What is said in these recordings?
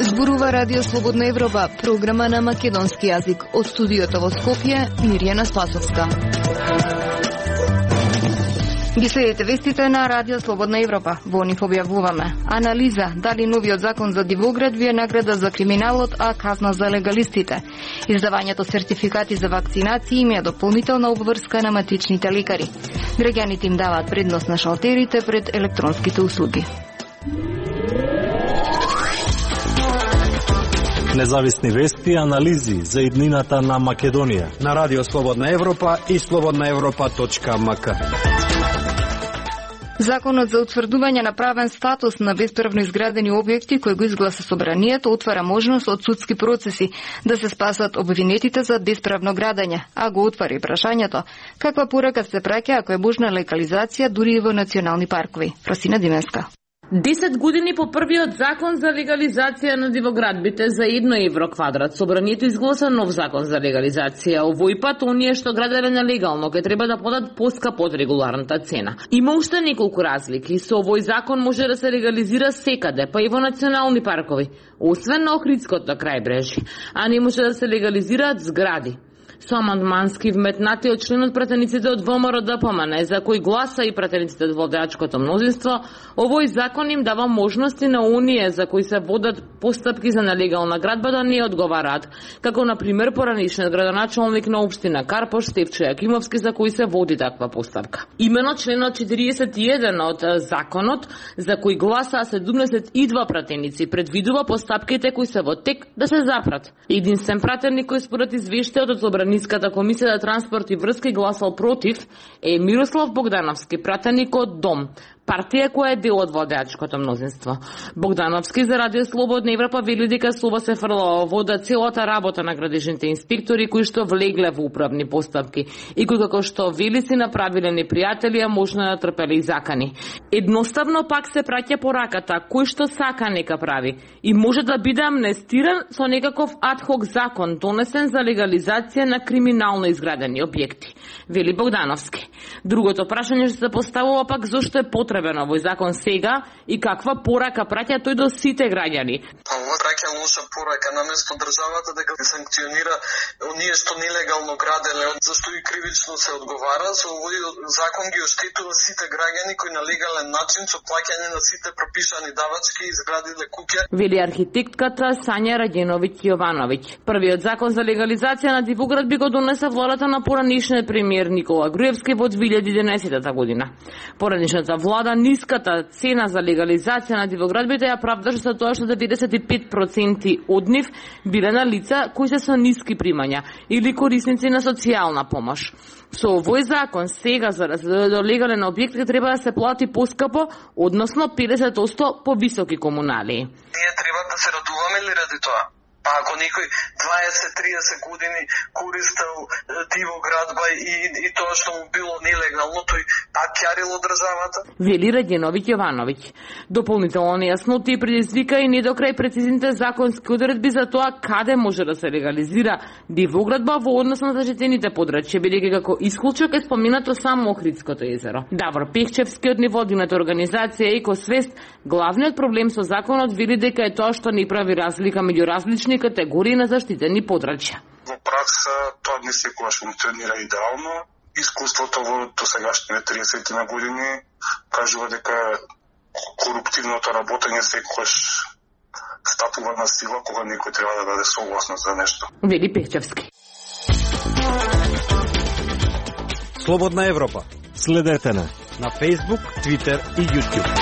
Зборува Радио Слободна Европа, програма на македонски јазик. Од студиото во Скопје, Мирјана Спасовска. Ги следите вестите на Радио Слободна Европа. Во нив објавуваме анализа дали новиот закон за дивоградби е награда за криминалот, а казна за легалистите. Издавањето сертификати за вакцинации им е дополнителна обврска на матичните лекари. Граѓаните им даваат предност на шалтерите пред електронските услуги. Независни вести и анализи за иднината на Македонија на Радио Слободна Европа и slobodnaevropa.mk. Законот за утврдување на правен статус на бесправно изградени објекти кој го изгласа собранието отвара можност од судски процеси да се спасат обвинетите за бесправно градење, а го отвара и прашањето каква порака се праќа ако е можна легализација дури и во национални паркови. Просина Димеска. 10 години по првиот закон за легализација на дивоградбите за 1 евро квадрат, собранието изгласа нов закон за легализација. Овој пат оние што граделе нелегално ќе треба да подат поскап од регуларната цена. Има уште неколку разлики. Со овој закон може да се легализира секаде, па и во национални паркови, освен на Охридското крајбрежје, а не може да се легализираат згради. Со амандмански вметнати од членот пратениците од ВМРО ДПМН, за кој гласа и пратениците од владеачкото мнозинство, овој закон им дава можности на оние за кои се водат постапки за нелегална градба да не одговараат, како на пример поранишниот градоначалник на општина Карпош Стефчо Јакимовски, за кој се води таква постапка. Имено членот 41 од законот, за кој гласа 72 пратеници, предвидува постапките кои се во тек да се запрат. Единствен пратеник кој според извештајот од Ниската комисија за транспорт и врски гласал против е Мирослав Богдановски, пратеник од ДОМ, партија која е дел од владеачкото мнозинство. Богдановски за Радио Слободна Европа вели дека слова се фрла во вода целата работа на градежните инспектори кои што влегле во управни постапки и кои како што вели си направиле непријатели, а можно да трпеле и закани. Едноставно пак се праќа пораката кој што сака нека прави и може да биде амнестиран со некаков адхок закон донесен за легализација на криминално изградени објекти, вели Богдановски. Другото прашање што се поставува пак зошто е потребен овој закон сега и каква порака праќа тој до сите граѓани. Ова праќа лоша порака наместо државата дека санкционира оние што нелегално граделе, зашто и кривично се одговара, со овој закон ги оштетува сите граѓани кои на легален начин со плаќање на сите пропишани давачки изградиле куќа. Вели архитектката Сања Раѓеновиќ Јовановиќ. Првиот закон за легализација на дивоградби го донесе владата на поранишниот премиер Никола Груевски во 2011 година. Поранишната влада ниската цена за легализација на дивоградбите ја правдаше со тоа што 95% од нив биле на лица кои се со ниски примања или корисници на социјална помош. Со овој закон сега за да се до легален објект ќе треба да се плати поскапо, односно 50% повисоки комуналии. Ние треба да се радуваме ли ради тоа? Па ако некој 20-30 години користел дивоградба и тоа што му било нелегално, тој пак ќарило државата? Вели Раѓеновиќ Јовановиќ. Дополнително нејасноти предизвика и недокрај прецизните законски одредби за тоа каде може да се легализира дивоградба во однос на заштитените подрачја, бидејќи како исклучок е споменато само Охридското езеро. Давор Пехчевски од невладината организација Екосвест, главниот проблем со законот вели дека е тоа што не прави разлика меѓу различни категории на заштитени подрачја. Во пракса тоа не секогаш функционира идеално. Искуството во досегашните 30 на години кажува дека коруптивното работење секогаш стапува на сила кога некој треба да даде согласност за нешто. Вели Пехчевски. Слободна Европа. Следете на Facebook, Twitter и YouTube.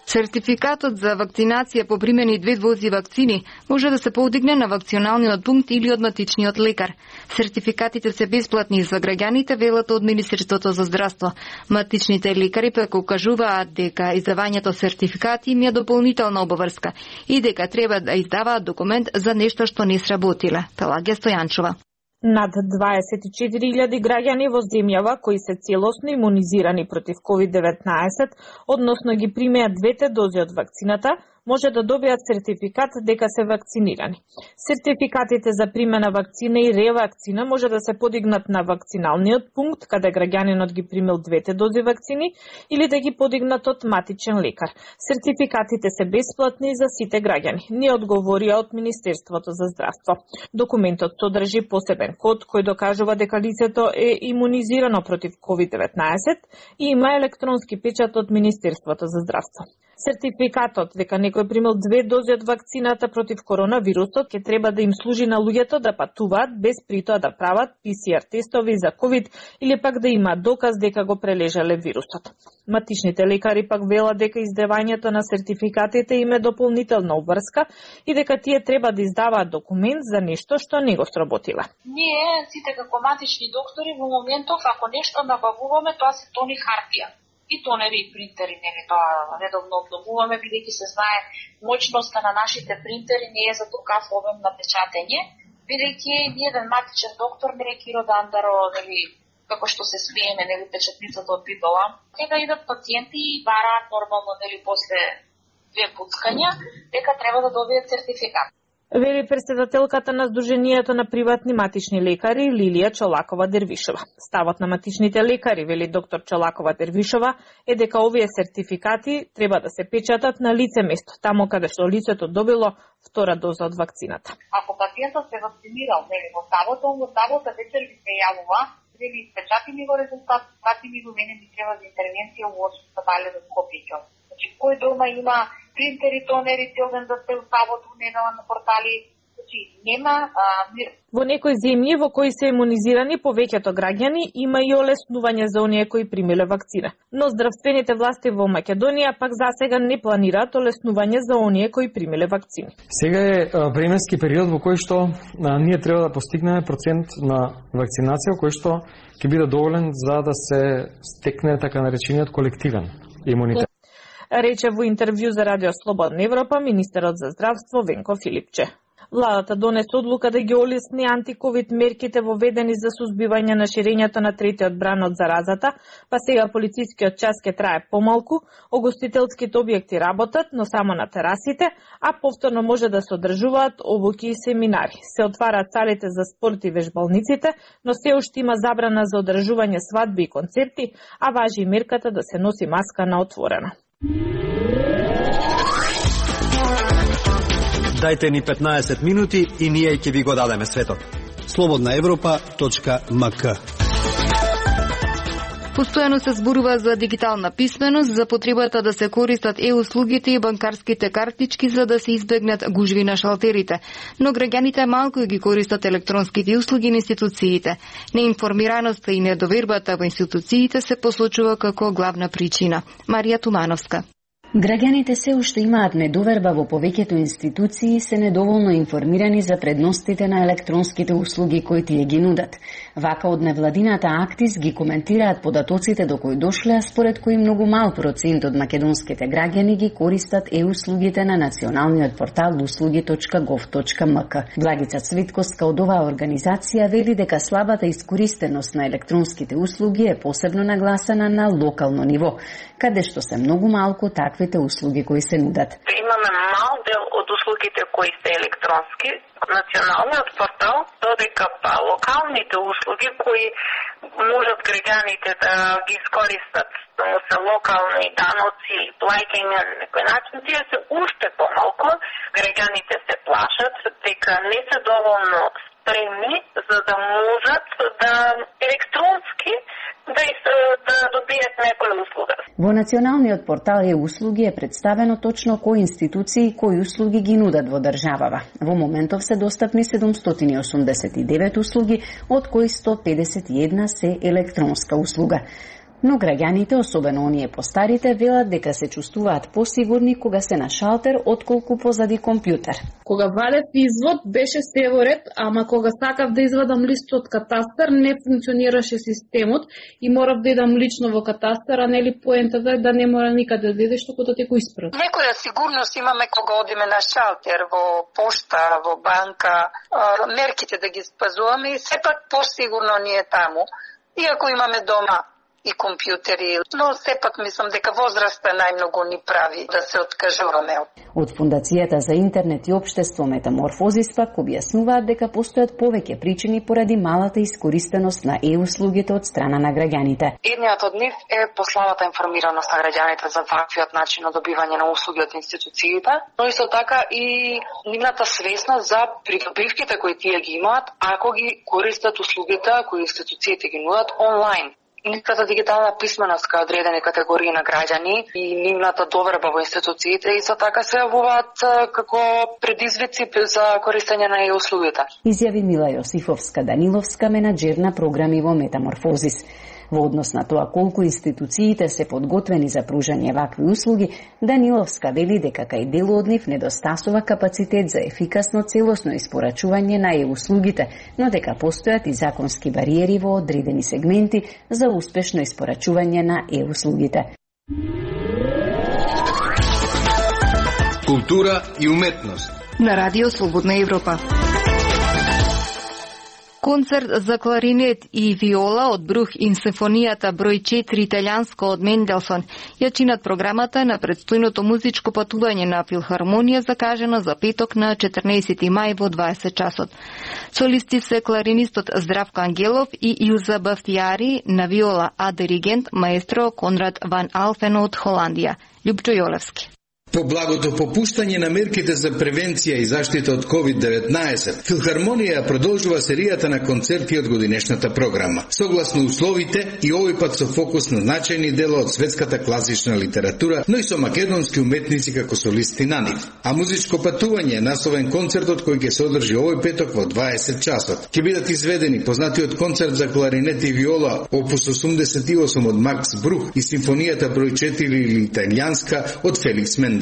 Сертификатот за вакцинација по примени 2 дози вакцини може да се подигне на вакционалниот пункт или од матичниот лекар. Сертификатите се бесплатни за граѓаните, велат од Министерството за здравство. Матичните лекари пак укажуваат дека издавањето сертификати им е дополнителна обврска и дека треба да издаваат документ за нешто што не сработиле. Пелагија Стојанчова. Над 24.000 граѓани во земјава кои се целосно имунизирани против COVID-19, односно ги примеат 2 дози од вакцината, може да добијат сертификат дека се вакцинирани. Сертификатите за примена вакцина и ревакцина може да се подигнат на вакциналниот пункт каде граѓанинот ги примил 2 дози вакцини или да ги подигнат од матичен лекар. Сертификатите се бесплатни за сите граѓани, не одговорија од Министерството за здравство. Документот содржи посебен код кој докажува дека лицето е имунизирано против COVID-19 и има електронски печат од Министерството за здравство. Сертификатот дека некој примил 2 дози од вакцината против коронавирусот ќе треба да им служи на луѓето да патуваат без притоа да прават PCR тестови за COVID или пак да има доказ дека го прележале вирусот. Матичните лекари пак велат дека издавањето на сертификатите им е дополнителна обврска и дека тие треба да издаваат документ за нешто што не го сработиле. Ние сите како матични доктори во моментов ако нешто набавуваме тоа се тони хартија. И тонери и принтери, нели тоа редовно обновуваме, бидејќи се знае моќноста на нашите принтери не е за толкав обем на печатење, бидејќи еден матичен доктор, нели Киро Дандаро, нели како што се смееме, нели печатницата од Битола, сега идат пациенти и бараат нормално, нели после 2 пуцкања, дека треба да добијат сертификат. Вели претседателката на Сдруженијето на приватни матични лекари Лилија Чолакова-Дервишова. Ставот на матичните лекари, вели доктор Чолакова-Дервишова, е дека овие сертификати треба да се печатат на лице место, тамо каде што лицето добило 2 доза од вакцината. Ако пациентот се вакцинирал, нели во таблото вечер ви се јавува, нели печати ми го резултат, пати ми го мене ми треба за интервенција во спитале за Скопје. Значи кој дома има принтери, тонери, целден да се устават во недела на портали, значи нема Во некои земји во кои се имунизирани повеќето граѓани има и олеснување за оние кои примиле вакцина. Но здравствените власти во Македонија пак засега не планираат олеснување за оние кои примиле вакцини. Сега е временски период во кој што ние треба да постигнеме процент на вакцинација кој што ќе биде доволен за да се стекне така наречениот колективен имунитет. Рече во интервју за Радио Слободна Европа министерот за здравство Венко Филипче. Владата донесе одлука да ги олесни антиковид мерките воведени за сузбивање на ширењето на третиот бран од заразата, па сега полицискиот час ќе трае помалку, огостителските објекти работат, но само на терасите, а повторно може да се одржуваат обуки и семинари. Се отвараат салите за спорт и вежбалниците, но се уште има забрана за одржување свадби и концерти, а важи и мерката да се носи маска на отворено. Дајте ни 15 минути и ние ќе ви го дадеме светот. slobodnaevropa.mk. Постојано се зборува за дигитална писменост, за потребата да се користат услугите и банкарските картички за да се избегнат гужви на шалтерите. Но граѓаните малку ги користат електронските услуги на институциите. Неинформираноста и недовербата во институциите се посочува како главна причина. Марија Тумановска. Граѓаните се уште имаат недоверба во повеќето институции и се недоволно информирани за предностите на електронските услуги кои тие ги нудат. Вака од невладината Актис ги коментираат податоците до кои дошле, според кои многу мал процент од македонските граѓани ги користат услугите на националниот портал услуги.gov.mk. Благица Цвитковска од оваа организација вели дека слабата искористеност на електронските услуги е посебно нагласена на локално ниво, каде што се многу малку таквите услуги кои се нудат. Имаме мал дел од услугите кои се електронски. Националниот портал додека па локалните услуги кои можат граѓаните да ги искористат, само се локални даноци, плаќања на некој начин, тие се уште помалку. Граѓаните се плашат дека не се доволно спремни за да можат да електронски да добијат некоја услуга. Во националниот портал услуги е представено точно кои институции и кои услуги ги нудат во државава. Во моментов се достапни 789 услуги, од кои 151 се електронска услуга. Но граѓаните, особено оние постарите, велат дека се чувствуваат посигурни кога се на шалтер отколку позади компјутер. Кога вадев извод беше се во ред, ама кога сакав да извадам лист од катастар не функционираше системот и морав да идам лично во катастар, а нели поентата е да не мора никаде да идеш, туку да те го испрат. Некоја сигурност имаме кога одиме на шалтер, во пошта, во банка, мерките да ги спазуваме и сепак посигурно ни е таму. Иако имаме дома и компјутери, но сепак мислам дека возраста најмногу ни прави да се откажуваме. Од Фондацијата за интернет и општество Метаморфозис пак објаснуваат дека постојат повеќе причини поради малата искористеност на услугите од страна на граѓаните. Едниот од нив е посланата информираност на граѓаните за ваквиот начин на добивање на услуги од институциите, но исто така и нивната свесност за придобивките кои тие ги имаат ако ги користат услугите кои институциите ги нудат онлайн. Нивната дигитална писменост кај одредени категории на граѓани и нивната доверба во институциите исто така се јавуваат како предизвици за користење на услугите. Изјави Мила Јосифовска-Даниловска, менаџер на програми во Метаморфозис. Во однос на тоа колку институциите се подготвени за пружање вакви услуги, Даниловска вели дека кај дел од нив недостасува капацитет за ефикасно целосно испорачување на услугите, но дека постојат и законски бариери во одредени сегменти за успешно испорачување на услугите. Култура и уметност на Радио Слободна Европа. Концерт за кларинет и виола од Брух и симфонијата број 4 италијанска од Менделсон ја чинат програмата на предстојното музичко патување на филхармонија закажено за петок на 14 мај во 20 часот. Солисти се кларинистот Здравко Ангелов и Илза Бафтијари на виола, а диригент маестро Конрад ван Алфен од Холандија. Љупчо Јолевски. По благото попуштање на мерките за превенција и заштита од COVID-19, Филхармонија продолжува серијата на концерти од годинешната програма. Согласно условите и овој пат со фокус на значајни дела од светската класична литература, но и со македонски уметници како солисти на нив. А музичко патување е насловен концертот кој ќе се одржи овој петок во 20 часот. Ќе бидат изведени познатиот концерт за кларинет и виола опус 88 од Макс Брух и симфонијата број 4 или италијанска од Феликс Менделсон.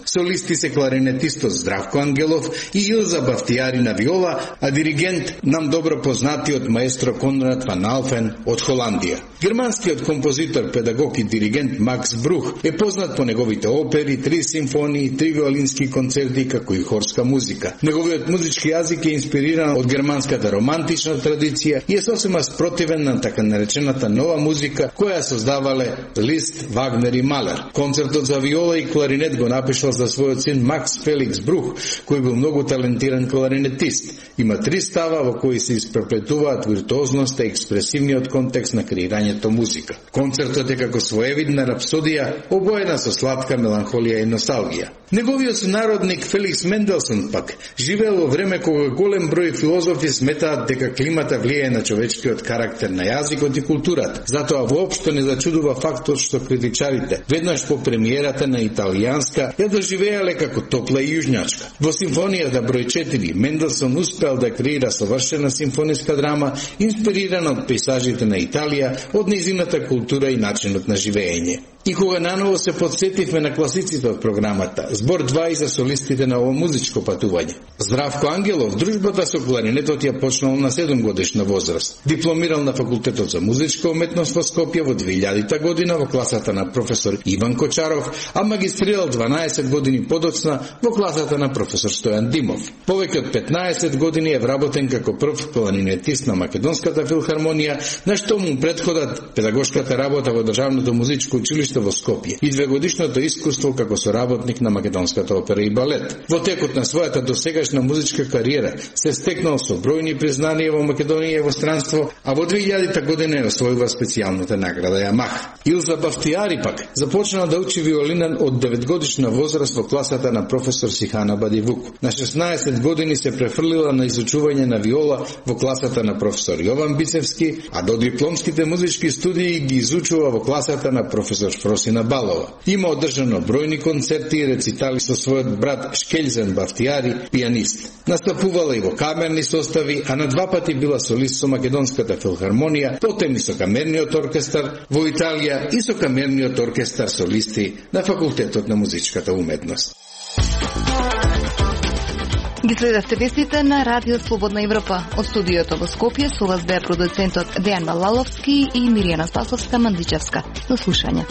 Солисти се кларинетистот Здравко Ангелов и Илза Бафтијари на виола, а диригент нам добро познатиот маестро Конрад ван Алфен од Холандија. Германскиот композитор, педагог и диригент Макс Брух е познат по неговите опери, 3 симфонии, 3 виолински концерти, како и хорска музика. Неговиот музички јазик е инспириран од германската романтична традиција и е сосема спротивен на така наречената нова музика која создавале Лист, Вагнер и Малер. Концертот за виола и кларинет го напишал за својот син Макс Феликс Брух, кој бил многу талентиран кларинетист. Има 3 става во кои се испреплетуваат виртуозноста и експресивниот контекст на креирањето музика. Концертот е како своевидна рапсодија, обоена со сладка меланхолија и носталгија. Неговиот сонародник Феликс Менделсон пак живеел во време кога голем број филозофи сметаат дека климата влијае на човечкиот карактер, на јазикот и културата. Затоа воопшто не зачудува фактот што критичарите веднаш по премиерата на италијанска ја доживеале како топла и јужњачка. Во симфонијата број 4 Менделсон успеал да креира совршена симфониска драма инспирирана од пейзажите на Италија, од нејзината култура и начинот на живење. И кога наново се подсетивме на класиците од програмата, збор 2 и за солистите на ово музичко патување. Здравко Ангелов дружбата со кларинетот ја почнал на 7 годишна возраст. Дипломирал на факултетот за музичка уметност во Скопје во 2000 година во класата на професор Иван Кочаров, а магистрирал 12 години подоцна во класата на професор Стојан Димов. Повеќе од 15 години е вработен како прв кларинетист на Македонската филхармонија, на што му претходат педагошката работа во Државното музичко училиште во Скопје и 2-годишното искуство како соработник на Македонската опера и балет. Во текот на својата досегашна музичка кариера се стекнал со бројни признанија во Македонија и во странство, а во 2000 година ја освојува специјалната награда Јамах. Илза Бафтијари пак започнала да учи виолина од 9-годишна возраст во класата на професор Сихана Бадивук. На 16 години се префрлила на изучување на виола во класата на професор Јован Бицевски, а до дипломските музички студии ги изучува во класата на професор Фросина Балова. Има одржано бројни концерти и рецитали со својот брат Шкелзен Бафтијари, пианист. Настапувала и во камерни состави, а на 2 пати била солист со Македонската филхармонија, потем и со камерниот оркестар во Италија и со камерниот оркестар солисти на Факултетот на музичката уметност. Ги следавте вестите на Радио Слободна Европа. Од студиото во Скопје со вас беа продуцентот Дејан Балаловски и Миријана Спасовска-Мандичевска. До слушање.